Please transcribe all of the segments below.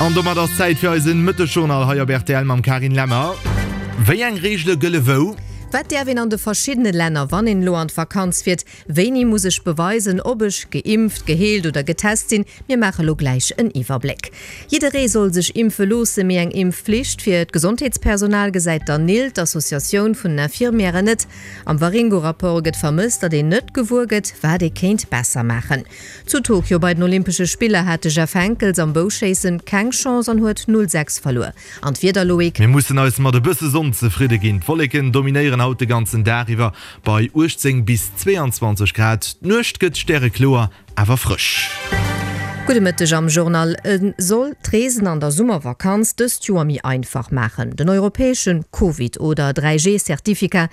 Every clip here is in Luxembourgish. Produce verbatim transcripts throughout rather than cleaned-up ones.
An domat ass Zäit fir eisen Mëttesjournal hei op R T L mam Karin Lemmer. Wéi eng Reegele gëlle wou? Wat däerf een an de verschiddene Länner, wann een elo an d'Vakanz fiert? Wéini muss ech beweisen, ob ech geimpft, geheelt oder getest sinn? Mir maache lo gläich en Iwwerbléck. Jidderee soll sech impfe loossen, mee eng Impfflicht fir d'Gesondheetspersonal gesäit d'ANIL, d'Associatioun vun den Infirmièren, net. Am Waringo-Rapport gëtt vermësst, datt een net gewuer gëtt, wat ee kéint besser maachen. Zu Tokio bei den Olympesche Spiller hat de Jeff Henckels am Bouschéissen keng Chance an huet null sechs verluer. An d'Wieder, Loïc? Mir mussen eis mat e bësse Sonn zefridde ginn. D'Wolleken dominéieren haut de ganzen Dag iwwer bei uechtzéng bis zweeanzwanzeg Grad. D'Nuecht gëtt stärekloer, awer frësch. Gudde Mëtteg am Journal. E soll d'Reesen an der Summervakanz dëst Joer méi einfach maachen, den europäesche Covid oder dräi G Certificat,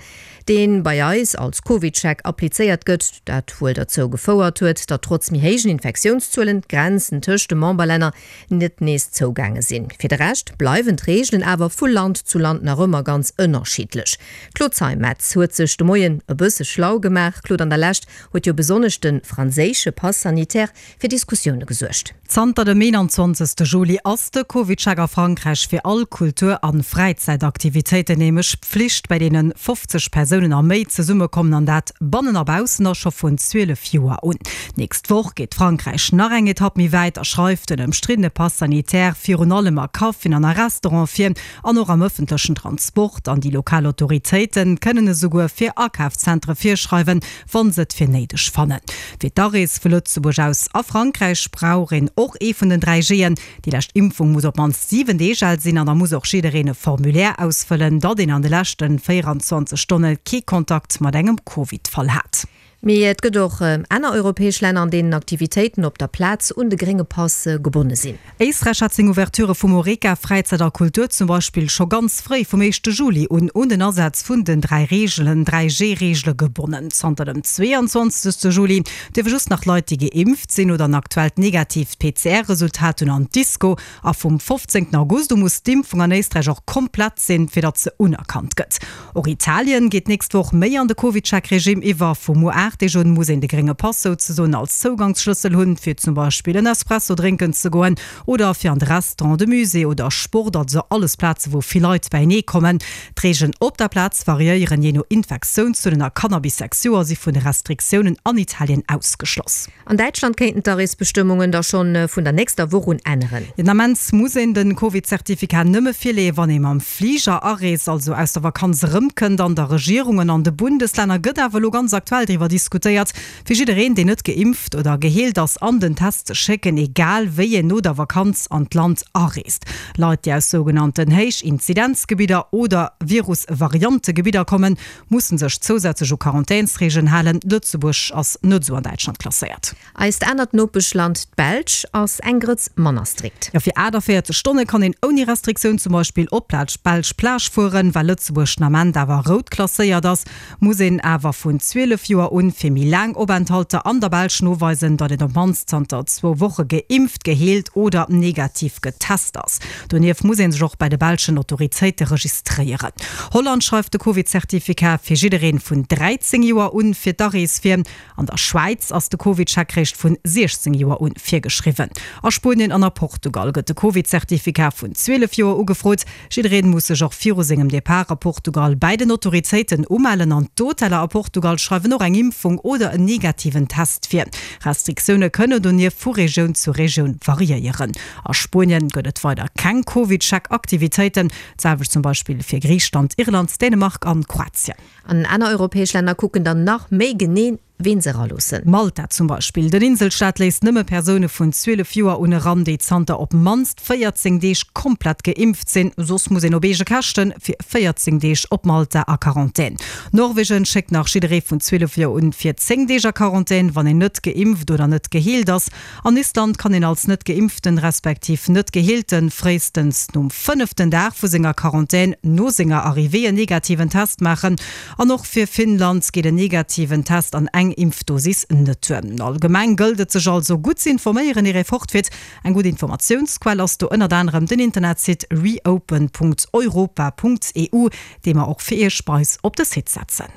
dee bei eis als CovidCheck applizéiert gëtt, dat wuel derzou gefouert huet, datt trotz méi héijen Infektiounszuelen d'Grenzen tëscht de Memberlänner net nees zougaange sinn. Fir de Rescht bleiwen d'Reegelen awer vu Land zu Land nach ëmmer ganz ënnerschiddlech. D'Claude Zeimetz huet sech de Moien e bësse schlau gemaach. Claude, an der Lescht huet jo besonnesch de franséische Pass sanitaire fir Diskussioune gesuergt. Zanter dem eenanzwanzegste Juli ass de CovidCheck a Frankräich fir all Kultur an Fräizäitaktivitéiten nämlech Pflicht, bei deene fofzeg Persounen a méi zesummekommen, an dat bannen a baussen, a scho vun zwielef Joer un. D'nächst Woch geet Frankräich nach eng Etapp méi wäit a schreift den ëmstriddene Pass sanitaire virun allem a Caféen an a Restaurante vir an och am ëffentlechen Transport, an déi lokal Autoritéite kënnen esouguer fir Akafszentere virschreiwen, wann se et fir néideg fannen. Fir d'Arees vu Lëtzebuerg aus a Frankräich brauch een och ee vun den dräi G'en. Déi lescht Impfung muss op d'mannst siwen Deeg al sinn an da muss och jiddereen e Formulaire ausfëllen, datt een an de leschte véieranzwanzeg Stonne kee Kontakt mat engem Covid-Fall hat. Mee et gëtt och aner europäesch Länner, an deenen Aktivitéiten op der Plaz un de grénge Pass gebonne sinn. Éisträich hat seng Ouverture vum Horeca, Fräizäit a Kultur zum Beispill scho ganz fréi vum éischte Juli un un den Asaz vun den dräi Reegelen, dräi G-Reegele gebonnen. Zanter dem zweeanzwanzegste Juli dierfe just nach Leit, déi geimpft sinn oder en aktuellt negatiivt P C R-Resultat hunn, an d'Disco. A vum fofzéngten August u muss d'Impfung an Éisträich och komplett sinn, fir datt se unerkannt gëtt. Och Italien geet d'nächst Woch méi an de CovidCheck-Regime iwwer. Vu muer aacht Deeg un muss een de grénge Pass souzesoen als Zougangsschlëssel hunn, fir zum Beispill en Espresso drénken ze goen oder fir an de Restaurant, de Musée oder Sport, also alles Plaze wou vill Leit beienee kommen. D'Reegelen op der Plaz variéieren jee no Infektiounszuelen a Kanner bis sechs Joer si vun de Restriktiounen an Italien ausgeschloss. An Däitschland kéinten d'Areesbestëmmungen da schonn vun der nächster Woch un änneren. Den Ament muss een de Covid-Zertifikat nëmme virleeën, wann ee mam Fliger areest, also aus der Vakanz erëmkënnt. An der Regierungen an de Bundeslänner gëtt awer elo ganz aktuell driwwer diskutéiert, fir jiddereen, deen net geimpft oder geheelt ass, an den Test ze schécken, egal wéi een no der Vakanz an d'Land areest. Leit, déi aus sougenannten Héichinzidenzgebidder oder Virusvariantegebidder kommen, musse sech zousätzlech u Quarantänsreegelen halen. Lëtzebuerg ass net esou an Däitschland klasséiert. Eist anert Nopeschland, d'Belsch, ass eng Grëtz manner strikt. Jo, fir aachtavéierzeg Stonne kann een ouni Restriktioun zum Beispill op d'belsch Plage fueren. Well Lëtzebuerg den Ament awer rout klasséiert ass, muss een awer vun zwielef Joer un fir méi laang Openthalter an der Belsch noweisen, datt een op d'mannst zanter zwou Woche geimpft, geheelt oder negativ getest ass. Donieft muss ee sech och bei de belschen Autoritéite registréieren. Holland schreift de Covid-Zertifikat fir jidderee vun dräizéng Joer un fir d'Arees vir. An der Schwäiz ass de CovidCheck réischt vun siechzéng Joer un virgeschriwwen. A Spuenien an a Portugal gëtt de Covid-Zertifikat vun zwielef Joer ugefrot. Jidderee muss sech och viru sengem Depart a Portugal bei den Autoritéiten umellen an d'Hoteller a Portugal schreiwen och eng Impfung oder en negativen Test vir. Restriktioune kënnen donieft vu Regioun zu Regioun variéieren. A Spuenien gëtt et weider keng CovidCheck-Aktivitéiten, d'selwecht zum Beispill fir Griicheland, Irland, Dänemark an Kroatien. An aner europäesch Länner kucken dann nach méi genee, wien se eraloossen. Malta zum Beispill. Den Inselstaat léisst nëmme Persoune vun zwielef Joer un eran, déi zanter op d'mannst véierzéng Deeg komplett geimpft sinn. Soss muss een op eege Käschte fir véierzéng Deeg op Malta a Quarantän. Norwegen schéckt nach jidderee vun zwielef Joer un fir zéng Deeg a Quarantän, wann een net geimpft oder net geheelt ass. An Island kann een als net geimpften respektiv net geheelten fréistens nom fënneften Dag vu senger Quarantän no senger Arrivée en negativen Test maachen. An och fir Finnland geet en negativen Test an eng Impfdosis net duer. Allgemeng gëllt et sech also gutt ze informéieren ier ee fortfiert. Eng gutt Informatiounsquell ass do ënnert anerem den Internetsite reopen Punkt europa Punkt E U, dee mer och fir iech bei eis op de Site setzen.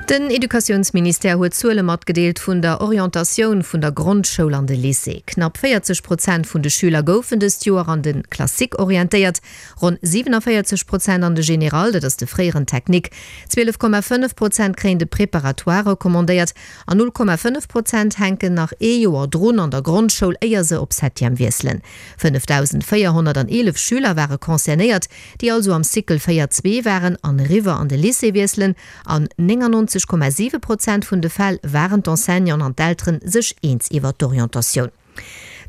Den Educatiounsministère huet Zuele matgedeelt vun der Orientatioun vun der Grondschoul an de Lycée. Knapp véierzeg Prozent vun de Schüler goufen dëst Joer an de Classique orientéiert, ronn siewenundvéierzeg Prozent an de Général, dat ass de fréieren Technique. Zwielef Komma fënnef Prozent kréien de Préparatoire recommandéiert an null Komma fënnef Prozent hänken nach ee Joer drun an der Grondschoul, éier se op Septième wiesselen. fënnefdausendvéierhonnerteelef Schüler ware concernéiert, déi also am Cycle véier zwee waren an eriwwer an de Lycée wiesselen. An néngannonzeg Komma siwe Prozent vun de Fäll waren d'Enseignanten an d'Elteren sech eens iwwer d'Orientatioun.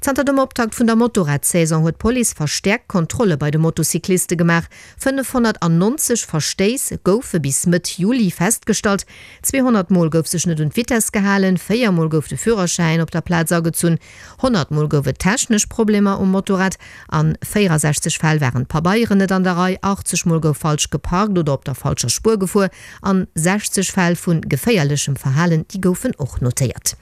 Zanter dem Optakt vun der Motorradsaison huet d'Police verstäerkt Kontrolle bei de Motocycliste gemaach. fënnefhonnertannonzeg Verstéiss goufe bis Mëtt Juli festgestallt. zweehonnert Mol gouf sech net un d'Vitess gehalen, véier Mol gouf de Führerschäin op der Plaz agezunn, honnert Mol gouf et technesch Problemer um Motorrad, a véierundsechzeg Fäll waren d'Pabeieren net an der Rei, achtzeg Mol gouf falsch geparkt oder op der falscher Spuer gefuer an sechzeg Fäll vu geféierlechem Verhalen, déi goufen och notéiert.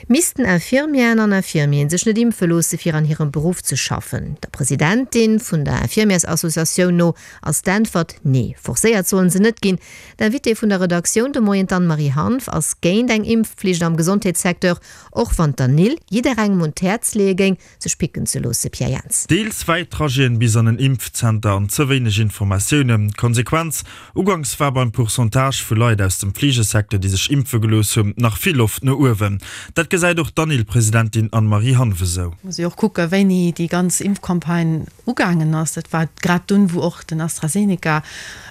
Missten Infirmieren an Infirmieren sech net impfe loosse fir an hirem Beruff ze schaffen? Der Presidentin vun der Infirmiersassociatioun no ass d'Äntwert nee. Forcéiert sollen se net ginn. D'Invitée vun der Redaktioun de Moien, d'Anne-Marie Hanff, ass géint eng Impfflicht am Gesondheetssecteur, och wann d'ANIL jidderengem un d'Häerz leeë géing, sech picken ze loosse. Pierre Jans. Deels wäit Trajeten bis an en Impfzenter an ze wéineg Informatiounen. Konsequenz, Uganks war beim Pourcentage vu Leit aus dem Fleegesecteur, déi sech impfe gelooss hunn, nach vill Loft no uewen. Dat gesäit och d'ANIL-Presidentin Anne-Marie Hanff esou. Muss ee och kucken, wéini déi ganz Impfcampagne ugaangen ass. Dat war grad dunn, wou och den AstraZeneca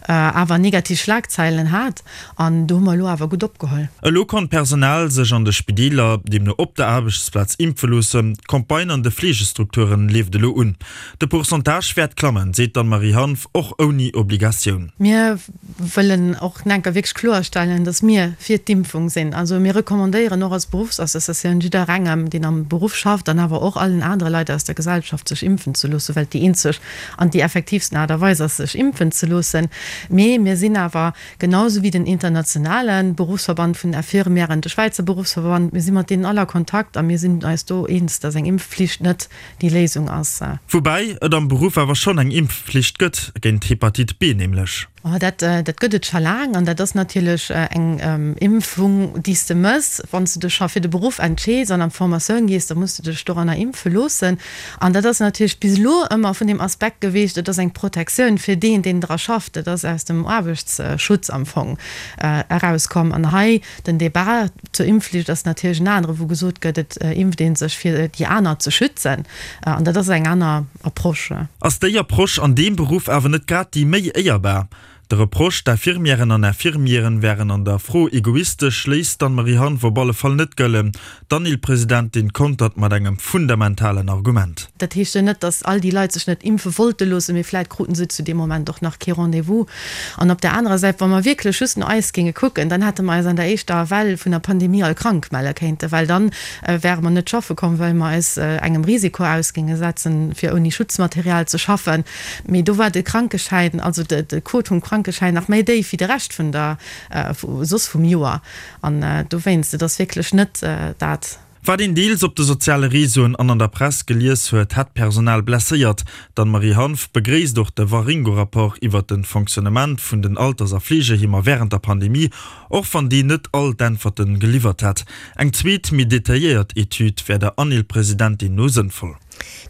awer negativ Schlagzeilen hat. An do hu mer elo awer gutt opgeholl. Elo konnt d'Personal sech an de Spideeler, deemno op der Aarbechtsplaz, impfe loossen. D'Campagne an de Fleegestrukturen leeft elo un. De Pourcentage wäert klammen, seet d'Anne-Marie Hanff, och ouni Obligatioun. Mir wëllen och enker wierklech kloerstellen, dass mir fir d'Impfung sinn. Also mir recommandéieren och als Beruffsassociatioun jidderengem, deen am Beruff schafft, an awer och allen anere Leit aus der Gesellschaft, sech impfen ze loossen, well et déi eenzeg an déi effektiivsten Aart a Weis ass, sech impfen ze loossen. Mee mir sinn awer, genau sou wéi den internationale Beruffsverband vun den Infirmièren, de Schwäizer Beruffsverband, mir si mat deenen all a Kontakt a mir sinn eis do eens, dass eng Impfflicht net déi Léisung ass. Woubäi et am Beruff awer schonn eng Impfflicht gëtt, géint Hepatite B nämlech. Oh, dat, dat gëtt et scho laang an dat ass natierlech eng Impfung, déi s de mëss, wann s de dech scho fir de Beruff entscheeds an an d'Formatioun gees, da muss de dech doranner impfe loossen. An dat ass natierlech bis elo ëmmer vun deem Aspekt gewiescht, et ass eng Protektioun fir deen, deen dra schafft. Dat ass aus dem Aarbechtsschutz am Fong erauskomm. An hei den Debat zur Impfflicht ass natierlech en anere, wou gesot gëtt, et impft ee sech fir déi aner ze schützen. An dat ass eng aner Approche. Ass déi Approche an deem Beruff awer net grad déi méi éierbar? De Reproche, d'Infirmièren an Infirmieren wären an der Fro egoistesch, léisst d'Anne-Marie Hanff op alle Fall net gëllen. D'ANIL-Presidentin kontert mat engem fundamentalen Argument. Dat heescht jo net, datt all déi Leit sech net impfe wollte loossen, mee vläit kruten se zu deem Moment och nach kee Rendez-vous. An op där anerer Säit, wa mer wierklech just no eis géinge kucken, dann hätte mer eis an der éischter Well vun der Pandemie all krank melle kéinten, well dann wäre mer net schaffe komm, well mer eis engem Risiko aus géinge setzen, fir ouni Schutzmaterial ze schaffen. Mee do war de Krankeschäin, also de Quot vum Krankeschäin nach méi déif wéi de Rescht vun der, soss vum Joer. An dowéinst, et ass wierklech net dat. Wat een deels op de soziale Reseauen an an der Press gelies huet, hätt d'Personal blesséiert. D'Anne-Marie Hanff begréisst och de Waringo-Rapport iwwer de Fonctionnement vun den Alters a Fleegeheemer wärend der Pandemie, och wann deen net all d'Äntwerte geliwwert hätt. Eng zweet, méi detailléiert Etüd wär der ANIL-Presidentin no sënnvoll.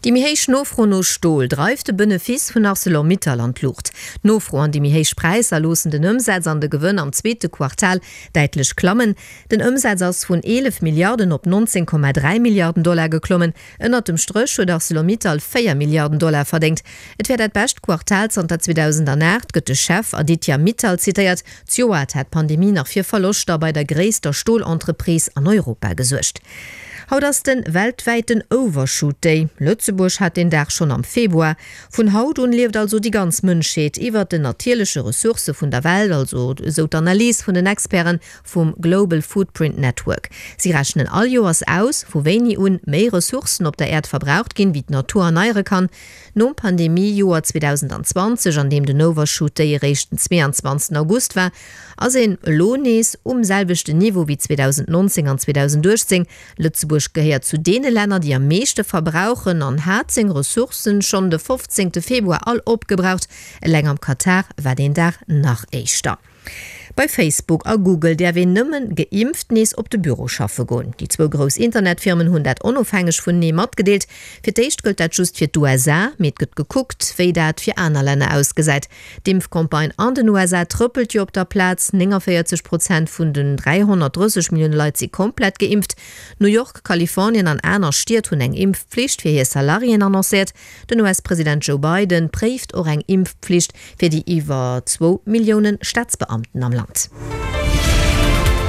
Déi méi héich Nofro no Stol dreift de Benefice vun Arcelor-Mittal an d'Luucht. D'Nofro an déi méi héich Präisser loossen den Ëmsaz an de Gewënn am zweete Quartal däitlech klammen. Den Ëmsaz ass vun eelef Milliarden op nonzéng Komma dräi Milliarden Dollar geklommen. Ënnert dem Stréch huet Arcelor-Mittal véier Milliarden Dollar verdéngt. Et wär dat bescht Quartal zanter zweedausendaacht, gëtt de Chef Aditya Mittal zitéiert. Zejoert hat d'Pandemie nach fir Verloschter bei der gréisster Stolentreprise an Europa gesuergt. Haut ass den weltwäiten Overshoot Day. Lëtzebuerg hat deen Dag schonn am Februar. Vun haut un lieft also déi ganz Mënschheet iwwert den natierleche Ressourcë vun der Welt, also esou d'Analys vun den Experten vum Global Footprint Network. Si rechnen all Joers aus, vu wéini un méi Ressourcen op der Äerd verbraucht ginn, wéi d'Natur erneiere kann. Nom Pandemie-Joer zweedausendzwanzeg, an deem den Overshoot Day eréischt den zweeanzwanzegsten August war, ass een elo nees um selwechten Niveau wéi zweedausendnonzéng an zweedausenduechtzéng. Lëtzebuerg gehéiert zu deene Länner, déi am meeschte verbrauchen an hat seng Ressourcen schonn de fofzéngte Februar all opgebraucht. Eleng am Katar war deen Dag nach éischter. Bei Facebook a Google däerf een nëmmen geimpft nees op de Büro schaffe goen. Déi zwou grouss Internetfirmen hunn dat onofhängeg vunenee matgedeelt. Fir d'éischt gëllt dat just fir d'USA, mee et gëtt gekuckt, wéi dat fir aner Länner ausgesäit. D'Impfcampagne an den USA trëppelt jo op der Plaz, nénganvéierzeg Prozent vun den dräihonnertdrësseg Millioune Leit si komplett geimpft. New York, Kalifornien an aner Stied hunn eng Impfpflicht fir hir Salariéen annoncéiert. Den US-President Joe Biden préift och eng Impfpflicht fir déi iwwer zwou Millioune Staatsbeamten am Land.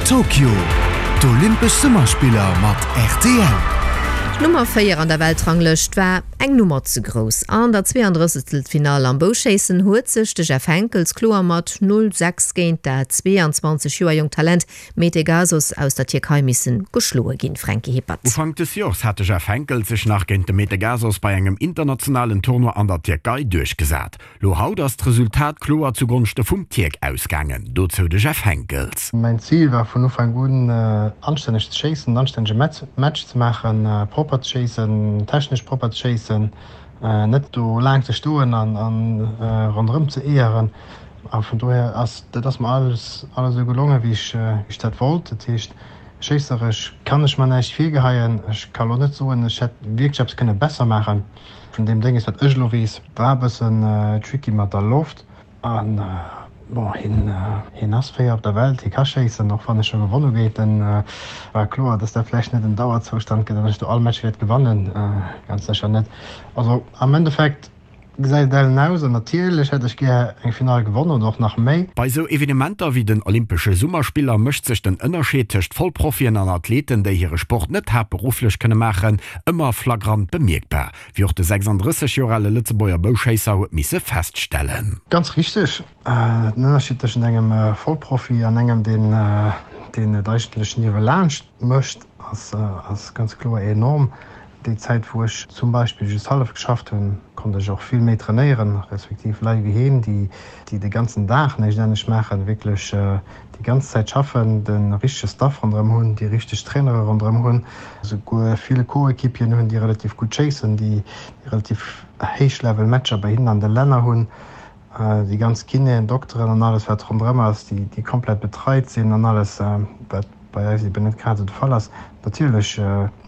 Tokio, D'Olympesch Summerspiller mat rtl. D'Nummer véier an der Weltranglëscht war eng Nummer ze grouss. An der Zweeandrëssegtelfinall am Bouschéissen huet sech de Jeff Henckels kloer mat null, sechs géint dat zweeanzwanzeg Joer jonkt Talent Mete Gazoz aus der Tierkei missen geschloe ginn. Franky Hippert. Ufank des Joers hat de Jeff Henckels sech nach géint de Mete Gazoz bei engem internationalen Tournoi an der Tierkei duerchgesat. Lo haut ass d'Resultat kloer zu Gonschte vum Tierk ausgaangen. Dozou de Jeff Henckels. Mäin Zil war vun Ufank un anstänneg ze schéissen, en anstännege Match ze maachen, propper ze schéissen, technesch propper ze schéissen, net do laang ze stoen an ronderëm ze eeëren. A vun dohier ass dat ass mer alles alles esou gelongen, wéi ech wéi ech dat wollt. Dat heescht, schéisseresch kann ech mer näischt virgeheien. Ech ka lo net soen, ech hätt wierklech eppes kënne besser maachen. Vun deem Dénges, wat ech elo weess, war e bëssen tricky mat der Loft. An bon, hien hien ass véier op der Welt, hie ka schéissen, och wann ech scho gewonn hu géint en. War kloer, dass dat vläicht net en Dauerzoustand gëtt an ech do all Match wäert gewannen, ganz sécher net. Also am Endeffekt gesäit et ellen aus an natierlech hätt ech gär eng Finall gewonnen oder och nach méi. Bei sou Evenementer wéi den Olympesche Summerspiller mécht sech den Ënnerscheed tëscht Vollprofien an Athleten, déi hire Sport net haaptberufflech kënne maachen, ëmmer flagrant bemierkbar, wéi och de sechsanddrësseg Joer ale Lëtzebuerger Bouschéisser huet misse feststellen. Ganz richteg, den Ënnerscheed tëschent engem Vollprofi an engem, deen deen et eigentlech niewelaanscht mécht, ass ass ganz kloer enorm. Déi Zäit, wou ech zum Beispill just hallef geschafft hunn, konnt ech och vill méi trainéieren, respektiv Leit wéi heen, déi déi de ganzen Dag näischt anescht maachen, wierklech déi ganz Zäit schaffen, de richtege Staff ronderëm hunn, déi richteg Trainere ronderëm hunn, esouguer vill Co-Equipieren hunn, déi relativ gutt schéissen, déi relativ héich Level Matcher bei hinnen an de Länner hunn, déi ganz Kinéen, Dokteren an alles wat ronderëm ass, déi déi komplett betreit sinn an alles, wat bei eis eben net grad esou de Fall ass. Natierlech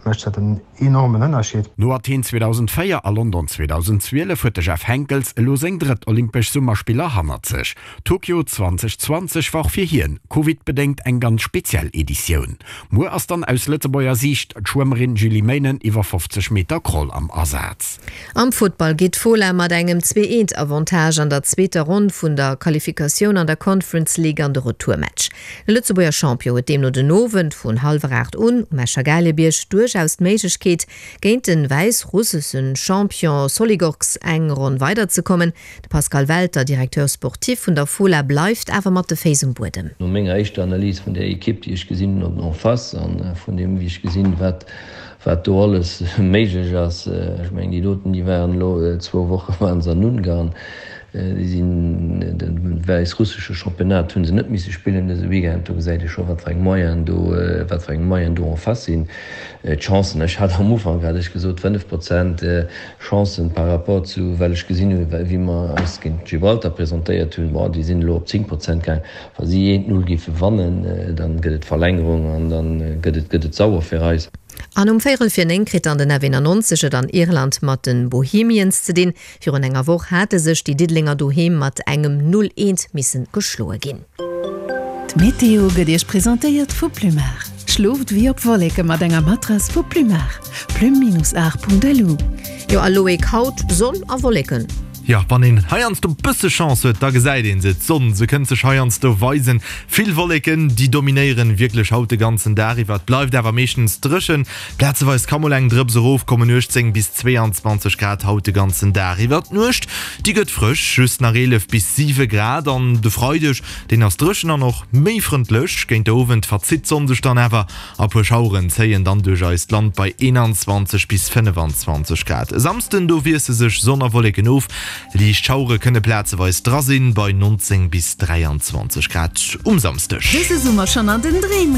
mécht dat en enormen Ënnerscheed. No Athen zweedausendvéier a London zweedausendzwielef huet de Jeff Henckels elo seng drëtt Olympesch Summerspiller hannert sech. Tokio zweedausendzwanzeg war och fir hien, Covid-bedéngt, eng ganz speziell Editioun. Muer ass dann aus Lëtzebuerger Siicht d'Schwëmmerin Julie Meynen iwwer fofzeg Meter Crawl am Asaz. Am Futtball geet d'Fola mat engem Zwee-Eent-Avantage an der zweeter Ronn vun der Qualifikatioun an der Conference League an de Retourmatch. De Lëtzebuerger Champion huet deemno den Owend vun hallwer aacht un um Escher Gaalebierg duerchaus d'Méiglechkeet, géint de wäissrussesche Champion Soligorsk eng Ronn weiderzekommen. De Pascal Welter, Directeur sportif vun der Fola, bleift awer mat de Féiss um Buedem. No menger éischter Analys vun där Ekipp, déi ech gesinn hunn en face, a vun deem, wéi ech gesinn, wat wat do alles méiglech ass, ech mengen, déi doten, déi waren elo zwou Woche waren se an Ungarn, déi sinn de wäissrussesche Championnat hu se net misse spillen dëse Weekend, do gesäit ee scho wat fir eng Moyenen do, wat fir eng Moyenen do en face sinn. D'Chancen, ech hat am Ufank hat ech gesot fënnef Prozent Chancen par rapport zu, well ech gesinn hunn, wéi mer eis géint Gibraltar presentéiert hunn, bon, déi sinn elo op zéng Prozent gaang. Wa si eent Null géife wannen, dann gëtt et Verlängerung an dann gëtt et, gëtt et sauer fir eis. An um véierel vir néng kritt dann den F eenannonzeg et an Irland mat de Bohemians ze dinn. Virun enger Woch hate sech déi Diddelenger doheem mat engem Null eent missen geschloe ginn. D'Meteo gëtt Iech presentéiert vu Plumar. Schlooft wéi op Wolleke mat enger Matrass vu Plumar. Plume-art.lu. Jo a Loïc, haut Sonn a Wolleken. Jo, wann een heiansdo bësse Chance huet, da gesäit een se, d'Sonn, se kënnt sech heiansdo weisen. Vill Wolleken, déi dominéieren wierklech haut de ganzen Dag iwwer. Et bleift awer meeschtens dréchen, plazeweis ka mol eng Drëps erofkommen. uechtzéng bis zweeanzwanzeg Grad haut de ganzen Dag iwwer. D'Nuecht, déi gëtt frësch, just nach eelef bis siwe Grad. An de Freideg, deen ass dréchen an och méi frëndlech. Géint de Owend verzitt d'Sonn sech dann awer a puer Schaueren zéien dann duerch eist Land bei eenanzwanzeg bis fënnefanzwanzeg Grad. E Samsden, do wiesse sech Sonn a Wolleken of, liicht Schauere kënne plazeweis dra sinn, bei nonzéng bis dräianzwanzeg Grad um Samsdeg. Dëse Summer schonn an den Dreem